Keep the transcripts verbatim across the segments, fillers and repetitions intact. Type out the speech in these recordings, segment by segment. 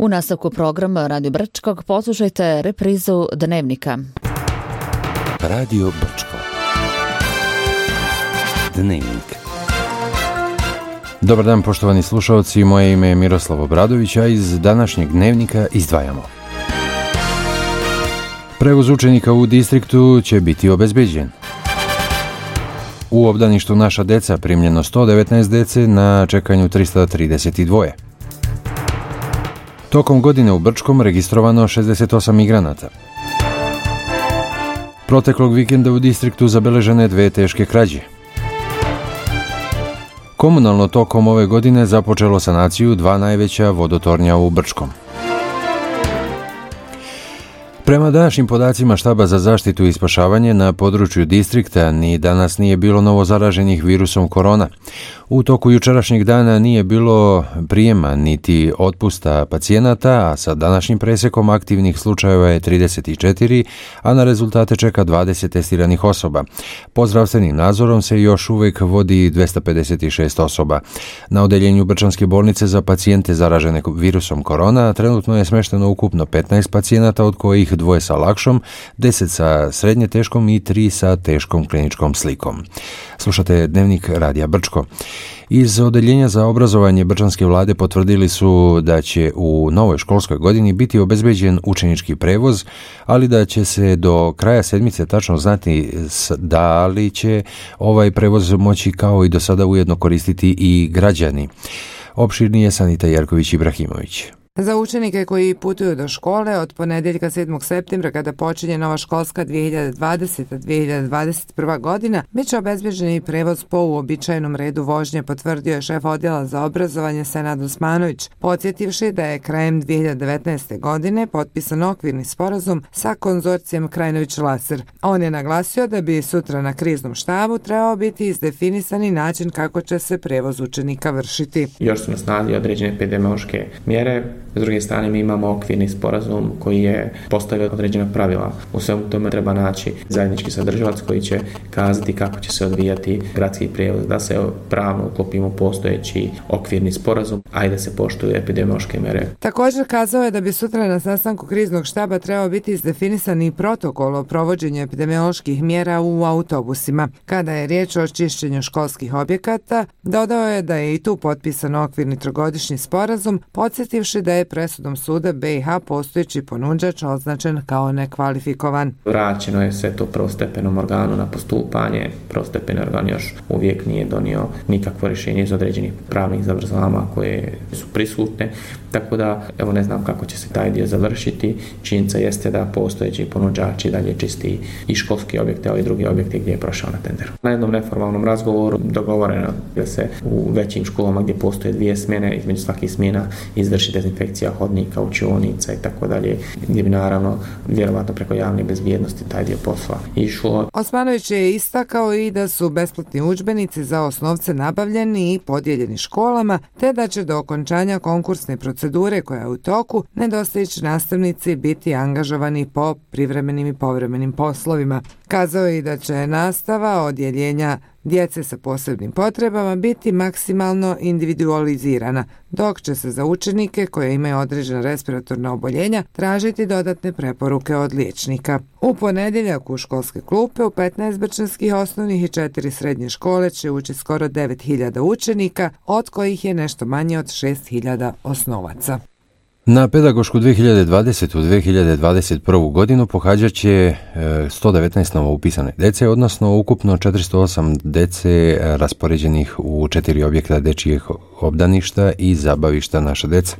U nastavku programa Radio Brčkog poslušajte reprizu Dnevnika. Radio Brčko. Dnevnik. Dobar dan, poštovani slušalci, moje ime je Miroslav Obradović, a iz današnjeg Dnevnika izdvajamo. Prevoz učenika u distriktu će biti obezbeđen. U obdaništu Naša deca primljeno sto devetnaest dece na čekanju tristo trideset dva. Tokom godine u Brčkom registrovano šezdeset osam migranata. Proteklog vikenda u distriktu zabeležene dve teške krađe. Komunalno tokom ove godine započelo sanaciju dva najveća vodotornja u Brčkom. Prema današnjim podacima Štaba za zaštitu i spašavanje na području distrikta ni danas nije bilo novo zaraženih virusom korona. U toku jučerašnjeg dana nije bilo prijema niti otpusta pacijenata, a sa današnjim presekom aktivnih slučajeva je trideset četiri, a na rezultate čeka dvadeset testiranih osoba. Po zdravstvenim nadzorom se još uvijek vodi dvesta pedeset šest osoba. Na odeljenju Brčanske bolnice za pacijente zaražene virusom korona trenutno je smešteno ukupno petnaest pacijenata, od kojih dvoje sa lakšom, deset sa srednje teškom i tri sa teškom kliničkom slikom. Slušate Dnevnik Radija Brčko. Iz Odeljenja za obrazovanje Brčanske vlade potvrdili su da će u novoj školskoj godini biti obezbeđen učenički prevoz, ali da će se do kraja sedmice tačno znati da li će ovaj prevoz moći kao i do sada ujedno koristiti i građani. Opširnije Sanita Jerković Ibrahimović. Za učenike koji putuju do škole od ponedjeljka sedmog septembra, kada počinje nova školska dvije hiljade dvadeseta dvije hiljade dvadeset prva godina, bit će obezbeđen i prevoz po uobičajenom redu vožnje, potvrdio je šef odjela za obrazovanje Senad Osmanović, podsjetivši da je krajem dvije hiljade devetnaeste. godine potpisan okvirni sporazum sa konzorcijem Krajinović-Laser. On je naglasio da bi sutra na kriznom štabu trebao biti izdefinisani način kako će se prevoz učenika vršiti. Još su na snazi određene epidemiološke mjere. S druge strane, mi imamo okvirni sporazum koji je postavio određena pravila. U svemu tome treba naći zajednički sadržavac koji će kazati kako će se odvijati gradski prijevoz, da se pravno uklopimo postojeći okvirni sporazum, a i da se poštuju epidemiološke mere. Također kazao je da bi sutra na sastanku kriznog štaba trebao biti izdefinisan i protokol o provođenju epidemioloških mjera u autobusima. Kada je riječ o čišćenju školskih objekata, dodao je da je i tu potpisan okvirni trogodišnji sporazum, podsjetivši da je presudom suda B i H postojeći ponuđač označen kao nekvalifikovan. Vraćeno je sve to prvostepenom organu na postupanje. Prvostepeni organ još uvijek nije donio nikakvo rješenje iz određenih pravnih zavrzlama koje su prisutne, tako da evo ne znam kako će se taj dio završiti. Činjenica jeste da postojeći ponuđači dalje čisti i školski objekte, ali i drugi objekte gdje je prošao na tenderu. Na jednom neformalnom razgovoru dogovoreno da se u većim školama gdje postoje dvije smjene, između svakih smjena izvrši dezinfekcija hodnika, učionica i tako dalje, gdje bi naravno vjerovatno preko javne bezbjednosti taj dio posla išlo. Osmanović je istakao i da su besplatni udžbenici za osnovce nabavljeni i podijeljeni školama, te da će do okončanja konkursne procedure koja je u toku nedostajući nastavnici biti angažovani po privremenim i povremenim poslovima. Kazao je i da će nastava odjeljenja djece sa posebnim potrebama biti maksimalno individualizirana, dok će se za učenike koje imaju određena respiratorna oboljenja tražiti dodatne preporuke od liječnika. U ponedjeljak u školske klupe u petnaest brčanskih osnovnih i četiri srednje škole će ući skoro devet hiljada učenika, od kojih je nešto manje od šest hiljada osnovaca. Na pedagošku dvije hiljade dvadesete dvije hiljade dvadeset prvu. godinu pohađat će sto devetnaest novo upisane dece, odnosno ukupno četiristo osam dece raspoređenih u četiri objekta dečijeg obdaništa i zabavišta Naša deca.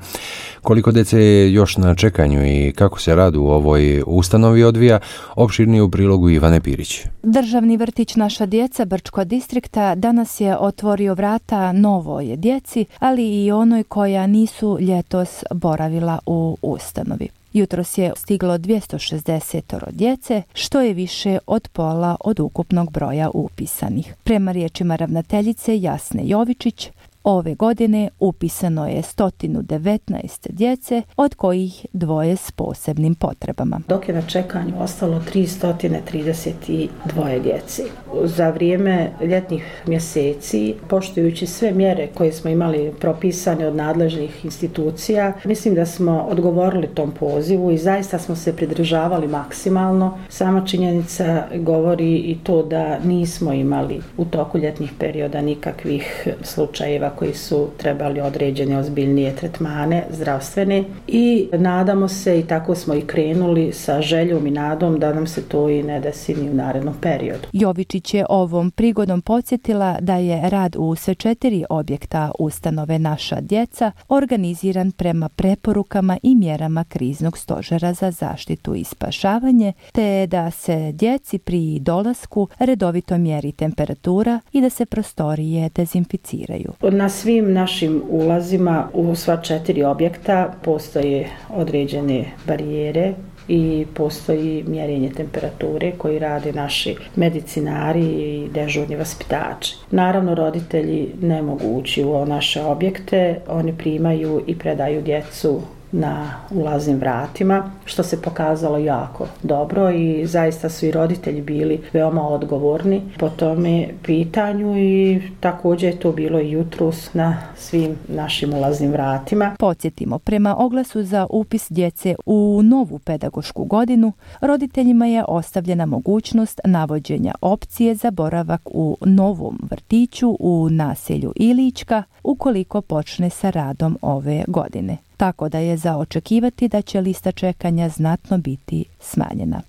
Koliko dece je još na čekanju i kako se rad u ovoj ustanovi odvija, opširnije u prilogu Ivane Pirić. Državni vrtić Naša djeca Brčko distrikta danas je otvorio vrata novoj djeci, ali i onoj koja nisu ljetos boravila u ustanovi. Jutros je stiglo dvjesto šezdeset djece, što je više od pola od ukupnog broja upisanih. Prema riječima ravnateljice Jasne Jovičić, Ove godine upisano je sto devetnaest djece, od kojih dvoje s posebnim potrebama. Dok je na čekanju ostalo tristo trideset dva djece. Za vrijeme ljetnih mjeseci, poštujući sve mjere koje smo imali propisane od nadležnih institucija, mislim da smo odgovorili tom pozivu i zaista smo se pridržavali maksimalno. Sama činjenica govori i to da nismo imali u toku ljetnih perioda nikakvih slučajeva koji su trebali određene ozbiljnije tretmane zdravstvene i nadamo se, i tako smo i krenuli sa željom i nadom da nam se to i ne desi ni u narednom periodu. Jovičić je ovom prigodom podsjetila da je rad u sve četiri objekta ustanove Naša djeca organiziran prema preporukama i mjerama kriznog stožera za zaštitu i spašavanje, te da se djeci pri dolasku redovito mjeri temperatura i da se prostorije dezinficiraju. Na svim našim ulazima u sva četiri objekta postoje određene barijere i postoji mjerenje temperature koji rade naši medicinari i dežurni vaspitači. Naravno, roditelji ne mogu ući u naše objekte, oni primaju i predaju djecu na ulaznim vratima, što se pokazalo jako dobro i zaista su i roditelji bili veoma odgovorni po tome pitanju i također je to bilo i jutros na svim našim ulaznim vratima. Podsjetimo, prema oglasu za upis djece u novu pedagošku godinu, roditeljima je ostavljena mogućnost navođenja opcije za boravak u novom vrtiću u naselju Ilička ukoliko počne sa radom ove godine. Tako da je za očekivati da će lista čekanja znatno biti smanjena.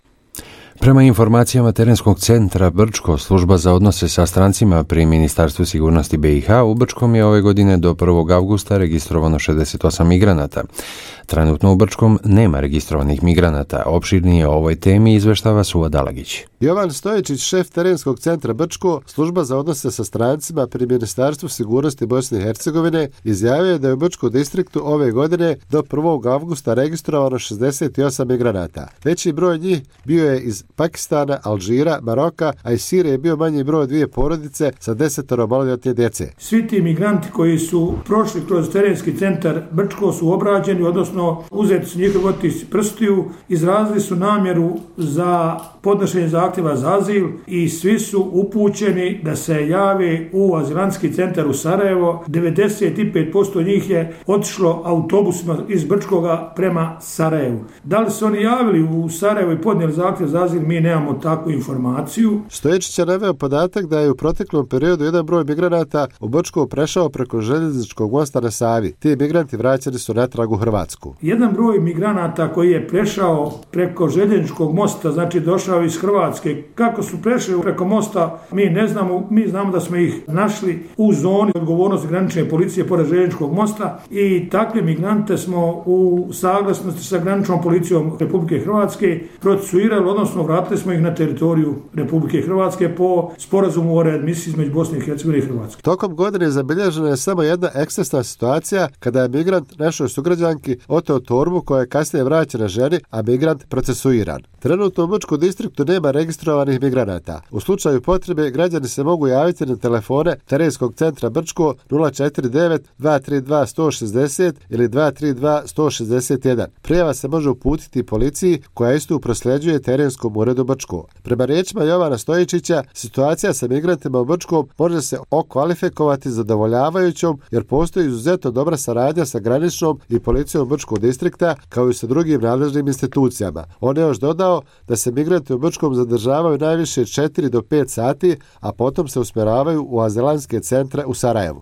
Prema informacijama Terenskog centra Brčko, služba za odnose sa strancima pri Ministarstvu sigurnosti B i H, u Brčkom je ove godine do prvog avgusta registrovano šezdeset osam migranata. Trenutno u Brčkom nema registrovanih migranata. Opširnije o ovoj temi izveštava Suva Dalagić. Jovan Stojičić, šef Terenskog centra Brčko, služba za odnose sa strancima pri Ministarstvu sigurnosti Bosne i Hercegovine, izjavio je da je u Brčkom distriktu ove godine do prvog avgusta registrovano šezdeset osam migranata. Veći broj njih bio je iz Pakistana, Alžira, Maroka, a iz Sirije je bio manji broj dvije porodice sa desetoro maloljetne djece. Svi ti migranti koji su prošli kroz Terenski centar Brčko su obrađeni, odnosno uzeti su njihov otis prstiju, izrazili su namjeru za podnošenje zahtjeva za azil i svi su upućeni da se jave u azilantski centar u Sarajevo. devedeset pet posto njih je otišlo autobusima iz Brčkoga prema Sarajevu. Da li su oni javili u Sarajevo i podnijeli zahtjev za azil, mi nemamo takvu informaciju. Stojičić je naveo podatak da je u proteklom periodu jedan broj migranata u Brčko prešao preko željezničkog mosta na Savi. Ti migranti vraćani su natrag u Hrvatsku. Jedan broj migranata koji je prešao preko željezničkog mosta, znači došao iz Hrvatske. Kako su prešli preko mosta, mi ne znamo. Mi znamo da smo ih našli u zoni odgovornosti granične policije pored željezničkog mosta i takve migrante smo u saglasnosti sa graničnom policijom Republike Hrvatske procesuirali, odnosno vratili smo ih na teritoriju Republike Hrvatske po sporazumu o readmisiji između Bosne i Hercegovine i Hrvatske. Tokom godine zabilježena je samo jedna ekscesna situacija kada je migrant našoj sugrađanki oteo torbu koja je kasnije vraćena ženi, a migrant procesuiran. Trenutno u Brčkom distriktu nema registrovanih migranata. U slučaju potrebe građani se mogu javiti na telefone Terenskog centra Brčko nula četiri devet dva tri dva sto šezdeset ili dva tri dva sto šezdeset jedan. Prijava se može uputiti policiji koja istu prosljeđuje Terenskom uredu Brčko. Prema riječima Jovana Stojičića, situacija sa migrantima u Brčkom može se okvalifikovati zadovoljavajućom jer postoji izuzetno dobra saradnja sa graničnom i policijom Brčkog distrikta kao i sa drugim nadležnim institucijama. On je još dodao da se migranti u Brčkom zadržavaju najviše četiri do pet sati, a potom se usmjeravaju u azilantske centre u Sarajevu.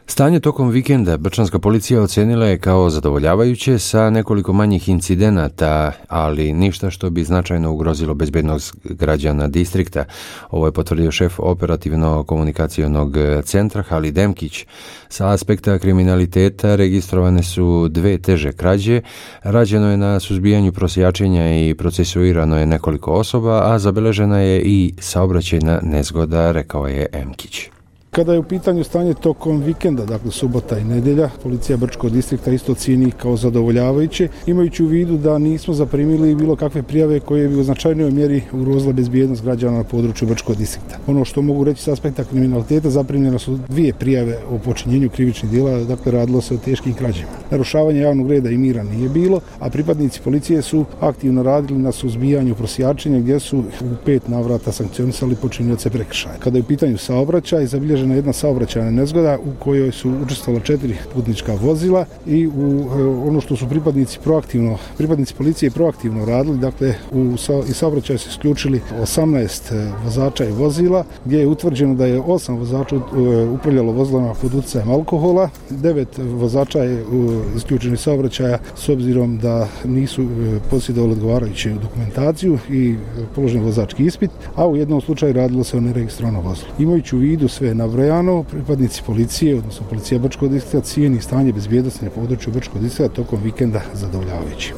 Stanje tokom vikenda brčanska policija ocenila je kao zadovoljavajuće sa nekoliko manjih incidenata, ali ništa što bi značajno ugrozilo bezbednost građana distrikta. Ovo je potvrdio šef operativno-komunikacionog centra Halid Demkić. Sa aspekta kriminaliteta registrovane su dve teže krađe, rađeno je na suzbijanju prosjačenja i procesuirano je nekoliko osoba, a zabeležena je i saobraćajna nezgoda, rekao je Emkić. Kada je u pitanju stanje tokom vikenda, dakle subota i nedjelja, policija Brčkog distrikta isto cijeni kao zadovoljavajuće, imajući u vidu da nismo zaprimili bilo kakve prijave koje bi u značajnoj mjeri ugrozile bezbjednost građana na području Brčkog distrikta. Ono što mogu reći s aspekta kriminaliteta, zaprimljene su dvije prijave o počinjenju krivičnih djela, dakle radilo se o teškim krađama. Narušavanje javnog reda i mira nije bilo, a pripadnici policije su aktivno radili na suzbijanju prosjačenja gdje su u pet navrata sankcionisali počinioce prekršaja. Kada je u pitanju saobraćaj, zabilježena jedna saobraćajna nezgoda u kojoj su učestvovala četiri putnička vozila i u ono što su pripadnici proaktivno, pripadnici policije proaktivno radili, dakle u i saobraćaj su isključili osamnaest vozača i vozila, gdje je utvrđeno da je osam vozača upravljalo vozilima pod utjecajem alkohola, devet vozača je isključeno iz saobraćaja s obzirom da nisu posjedovali odgovarajuću dokumentaciju i položen vozački ispit, a u jednom slučaju radilo se o neregistrovanom vozilu. Imajući u vidu sve nabrojano, pripadnici policije, odnosno policija Brčkog distrikta, cijeni stanje bezbjednosti na području Brčkog distrikta tokom vikenda zadovoljavajući.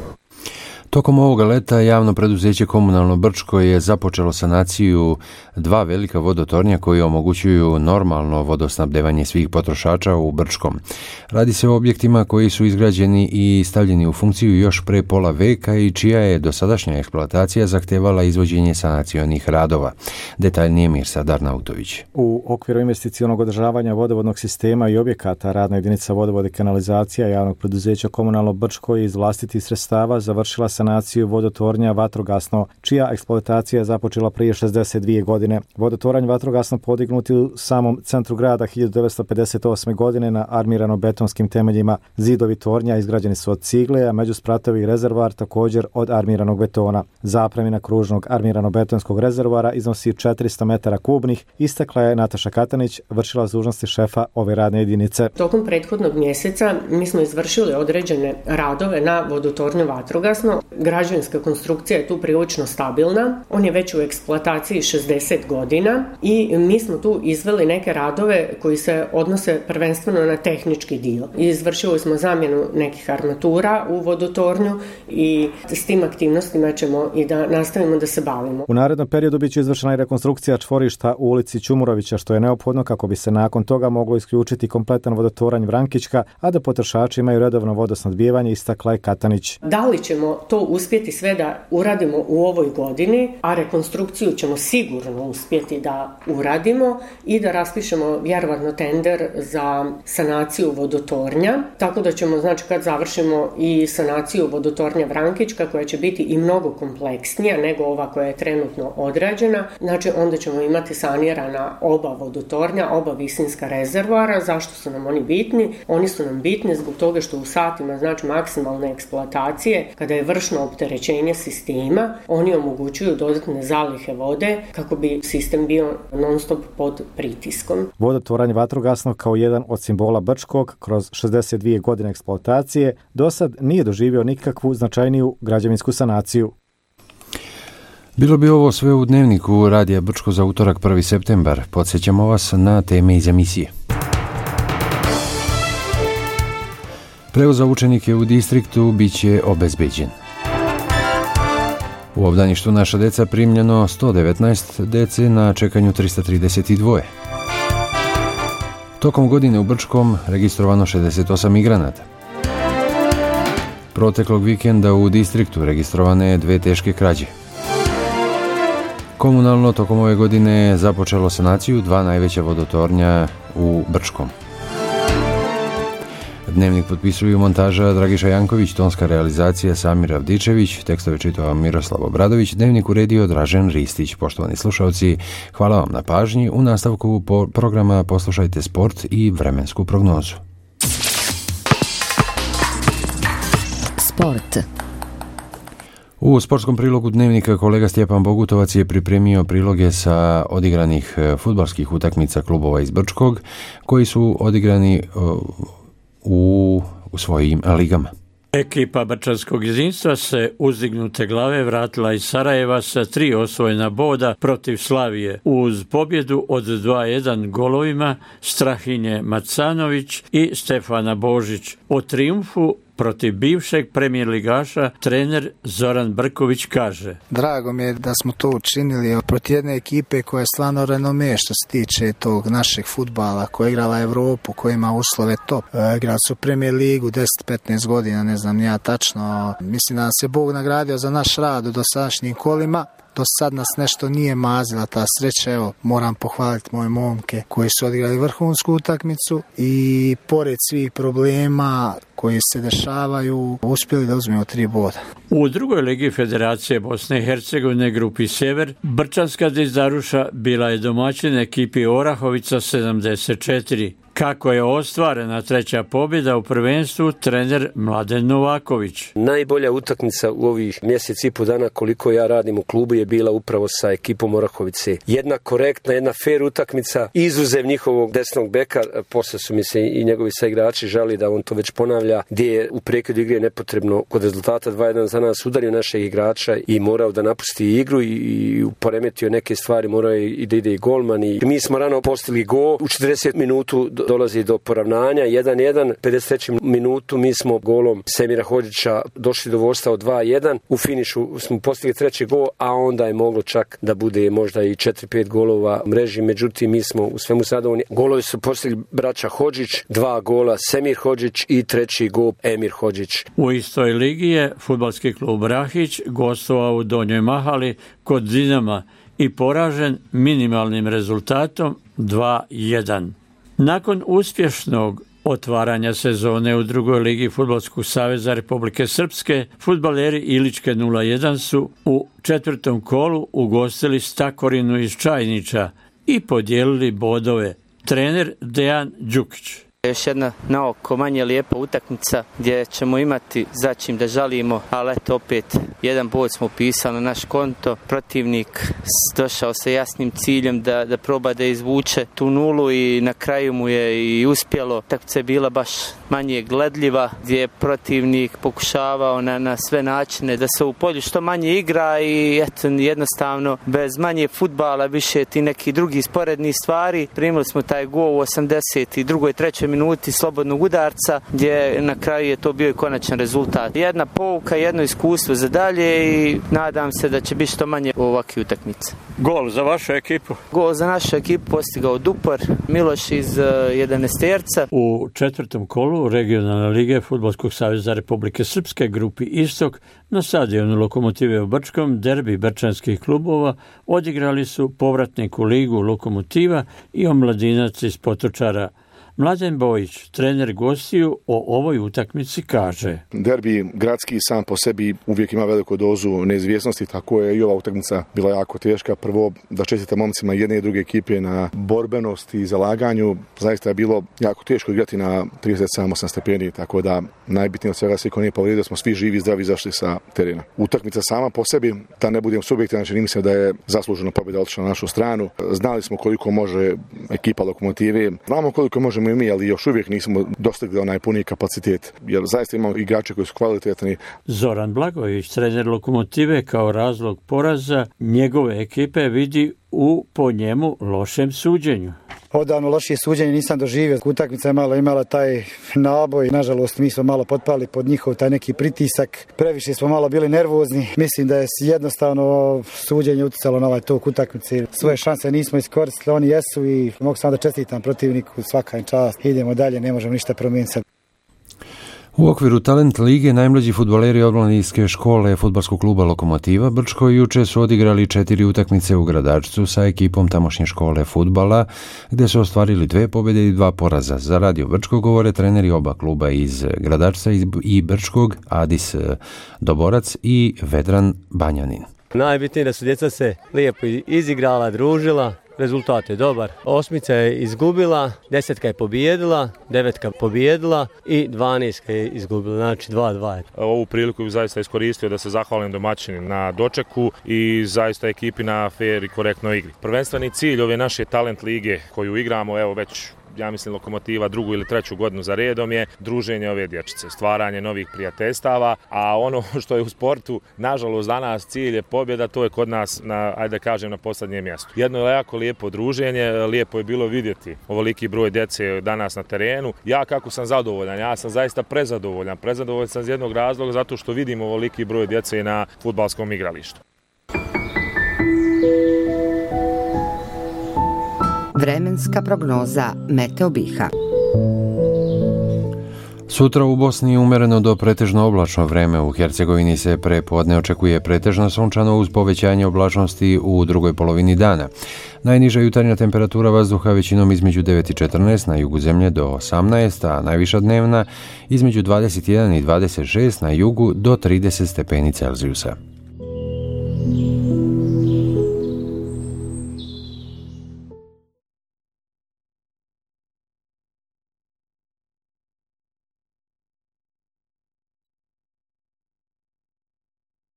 Tokom ovoga leta javno preduzeće Komunalno Brčko je započelo sanaciju dva velika vodotornja koji omogućuju normalno vodosnabdevanje svih potrošača u Brčkom. Radi se o objektima koji su izgrađeni i stavljeni u funkciju još pre pola veka i čija je dosadašnja eksploatacija zahtevala izvođenje sanacionih radova. Detaljnije Mirsa Darnautović. U okviru investicionog održavanja vodovodnog sistema i objekata radna jedinica vodovode kanalizacija javnog preduzeća Komunalno Brčko iz vlastitih sredstava završila sanaciju vodotornja Vatrogasno, čija eksploatacija je započela prije šezdeset dvije godine. Vodotoranj Vatrogasno podignut je u samom centru grada hiljadu devetsto pedeset osme. godine na armirano-betonskim temeljima. Zidovi tornja izgrađeni su od cigle, a međuspratovi rezervoar također od armiranog betona. Zapremina kružnog armirano-betonskog rezervoara iznosi četiristo metara kubnih, istakla je Nataša Katanić, vršila dužnosti šefa ove radne jedinice. Tokom prethodnog mjeseca mi smo izvršili određene radove na vodotornju Vatrogasno. Građevinska konstrukcija je tu prilično stabilna, on je već u eksploataciji šezdeset godina i mi smo tu izveli neke radove koji se odnose prvenstveno na tehnički dio. Izvršili smo zamjenu nekih armatura u vodotornju i s tim aktivnostima ćemo i da nastavimo da se bavimo. U narednom periodu biće izvršena i rekonstrukcija čvorišta u ulici Ćumurovića, što je neophodno kako bi se nakon toga moglo isključiti kompletan vodotoranj Vrankićka, a da potrošači imaju redovno vodosnadbijevanje, istakla je Katanić. Da li ćemo to uspjeti sve da uradimo u ovoj godini, a rekonstrukciju ćemo sigurno uspjeti da uradimo i da raspišemo vjerovatno tender za sanaciju vodotornja, tako da ćemo, znači, kad završimo i sanaciju vodotornja Vrankićka, koja će biti i mnogo kompleksnija nego ova koja je trenutno odrađena, znači onda ćemo imati sanirana oba vodotornja, oba visinska rezervoara. Zašto su nam oni bitni? Oni su nam bitni zbog toga što u satima, znači maksimalne eksploatacije, kada je vršno opterećenje sistema, oni omogućuju dodatne zalihe vode kako bi sistem bio non stop pod pritiskom. Vodotoranj Vatrogasno kao jedan od simbola Brčkog kroz šezdeset dvije godine eksploatacije do sad nije doživio nikakvu značajniju građevinsku sanaciju. Bilo bi ovo sve u dnevniku Radija Brčko za utorak prvi septembar. Podsjećamo vas na teme iz emisije. Prevoz za učenike u distriktu bit će obezbeđen. U obdaništu Naša deca primljeno sto devetnaest dece, na čekanju tristo trideset dva. Tokom godine u Brčkom registrovano šezdeset osam migranata. Proteklog vikenda u distriktu registrovane dve teške krađe. Komunalno tokom ove godine započelo sanaciju dva najveća vodotornja u Brčkom. Dnevnik potpisuju montaža Dragiša Janković, tonska realizacija Samir Avdičević, tekstove čitao Miroslav Obradović, dnevnik uredio Dražen Ristić. Poštovani slušalci, hvala vam na pažnji. U nastavku po programa poslušajte sport i vremensku prognozu. Sport. U sportskom prilogu dnevnika kolega Stjepan Bogutovac je pripremio priloge sa odigranih fudbalskih utakmica klubova iz Brčkog koji su odigrani u, u svojim ligama. Ekipa brčanskog jedinstva se uzdignute glave vratila iz Sarajeva sa tri osvojena boda protiv Slavije uz pobjedu od dva jedan golovima Strahinje Macanović i Stefana Božić. O trijumfu protiv bivšeg premijer ligaša, trener Zoran Brković kaže: Drago mi je da smo to učinili protiv jedne ekipe koja je stvarno renome što se tiče tog našeg fudbala, koja je igrala Evropu, koja ima uslove top. E, igrali su Premier ligu deset petnaest godina, ne znam ja tačno. Mislim da nas je Bog nagradio za naš rad u dosadašnjim kolima. Do sad nas nešto nije mazila ta sreća, evo moram pohvaliti moje momke koji su odigrali vrhunsku utakmicu i pored svih problema koji se dešavaju uspjeli da uzmemo tri boda. U drugoj ligi Federacije Bosne i Hercegovine grupi Sjever, Brčanska Dizdaruša bila je domaćin ekipi Orahovica sedamdeset četiri. Kako je ostvarena treća pobjeda u prvenstvu, trener Mladen Novaković. Najbolja utakmica u ovih mjesec i po dana koliko ja radim u klubu je bila upravo sa ekipom Orahovice. Jedna korektna, jedna fair utakmica, izuzev njihovog desnog beka, posle su mi se i njegovi saigrači žali da on to već ponavlja, gdje je u prekidu igre nepotrebno kod rezultata dva jedan za nas udario našeg igrača i morao da napusti igru i poremetio neke stvari, morao je i da ide i golman. I mi smo rano postigli gol, u četrdeset minutu dolazi do poravnanja, jedan jedan, pedeset trećem minutu mi smo golom Semira Hodžića došli do vodstva od dva jedan, u finišu smo postigli treći gol, a onda je moglo čak da bude možda i četiri pet golova u mreži, međutim mi smo u svemu zadovoljni. Golovi su postigli braća Hodžić, dva gola Semir Hodžić i treći gol Emir Hodžić. U istoj ligi je fudbalski klub Rahić gostovao u Donjoj Mahali kod Dinama i poražen minimalnim rezultatom dva jedan. Nakon uspješnog otvaranja sezone u drugoj ligi Fudbalskog saveza Republike Srpske, fudbaleri Iličke nula jedan su u četvrtom kolu ugostili Stakorinu iz Čajnića i podijelili bodove. Trener Dejan Đukić. Još jedna na oko manje lijepa utakmica gdje ćemo imati za čim da žalimo, ali eto opet jedan bod smo upisali na naš konto. Protivnik došao sa jasnim ciljem da, da proba da izvuče tu nulu i na kraju mu je i uspjelo. Utakmica je bila baš manje gledljiva gdje je protivnik pokušavao na, na sve načine da se u polju što manje igra i eto jednostavno bez manje fudbala više ti neki drugi sporedni stvari. Primili smo taj gol u osamdeset drugoj trećoj minuti slobodnog udarca gdje na kraju je to bio i konačan rezultat. Jedna pouka, jedno iskustvo za dalje i nadam se da će biti što manje ovakve utakmice. Gol za vašu ekipu? Gol za našu ekipu postigao Dupar Miloš iz uh, jedanaesterca. U četvrtom kolu regionalne lige Fudbalskog saveza Republike Srpske grupi Istok na stadionu Lokomotive u Brčkom derbi brčanskih klubova odigrali su povratnik u ligu Lokomotiva i Omladinac iz Potočara. Mladen Bojić, trener gostiju, o ovoj utakmici kaže: Derbi gradski sam po sebi uvijek ima veliku dozu neizvjesnosti, tako je i ova utakmica bila jako teška. Prvo da čestitam momcima jedne i druge ekipe na borbenosti i zalaganju. Zaista je bilo jako teško igrati na trideset sedam osam stepeni, tako da najbitnije od svega svi ko nije povrijedio smo svi živi i zdravi izašli sa terena. Utakmica sama po sebi, da ne budem subjektivan, znači mislim da je zasluženo pobjeda otišla na našu stranu. Znali smo koliko može ekipa Lokomotive, znamo koliko možemo i mi, ali još uvijek nismo dostigli onaj puni kapacitet, jer zaista imamo igrače koji su kvalitetni. Zoran Blagović, trener Lokomotive, kao razlog poraza njegove ekipe vidi u po njemu lošem suđenju. Odavno lošije suđenje nisam doživio. Utakmica je malo imala taj naboj. Nažalost, mi smo malo potpali pod njihov taj neki pritisak. Previše smo malo bili nervozni. Mislim da je jednostavno suđenje utjecalo na ovaj tok utakmice. Svoje šanse nismo iskoristili, oni jesu i mogu samo da čestitam protivniku, svaka im čast. Idemo dalje, ne možemo ništa promijeniti. U okviru Talent lige najmlađi fudbaleri omladinske škole fudbalskog kluba Lokomotiva Brčko juče su odigrali četiri utakmice u Gradačcu sa ekipom tamošnje škole fudbala, gdje su ostvarili dve pobjede i dva poraza. Za Radio Brčko govore treneri oba kluba iz Gradačca i Brčkog, Adis Doborac i Vedran Banjanin. Najbitnije da su djeca se lijepo izigrala, družila. Rezultat je dobar. Osmica je izgubila, desetka je pobijedila, devetka pobijedila i dvanaestka je izgubila, znači dva dva. Ovu priliku bih zaista iskoristio da se zahvalim domaćini na dočeku i zaista ekipi na fair i korektnoj igri. Prvenstveni cilj ove naše Talent lige koju igramo evo već ja mislim Lokomotiva drugu ili treću godinu za redom je druženje ove dječice, stvaranje novih prijateljstava, a ono što je u sportu, nažalost danas cilj je pobjeda, to je kod nas, na, ajde kažem, na posljednjem mjestu. Jedno je jako lijepo druženje, lijepo je bilo vidjeti ovoliki broj djece danas na terenu. Ja kako sam zadovoljan, ja sam zaista prezadovoljan, prezadovoljan sam iz jednog razloga zato što vidim ovoliki broj djece na fudbalskom igralištu. Vremenska prognoza Meteo Biha. Sutra u Bosni umereno do pretežno oblačno vreme, u Hercegovini se pre podne očekuje pretežno sunčano uz povećanje oblačnosti u drugoj polovini dana. Najniža jutarnja temperatura vazduha većinom između devet i četrnaest, na jugu zemlje do osamnaest, a najviša dnevna između dvadeset jedan i dvadeset šest, na jugu do trideset stepeni Celzijusa.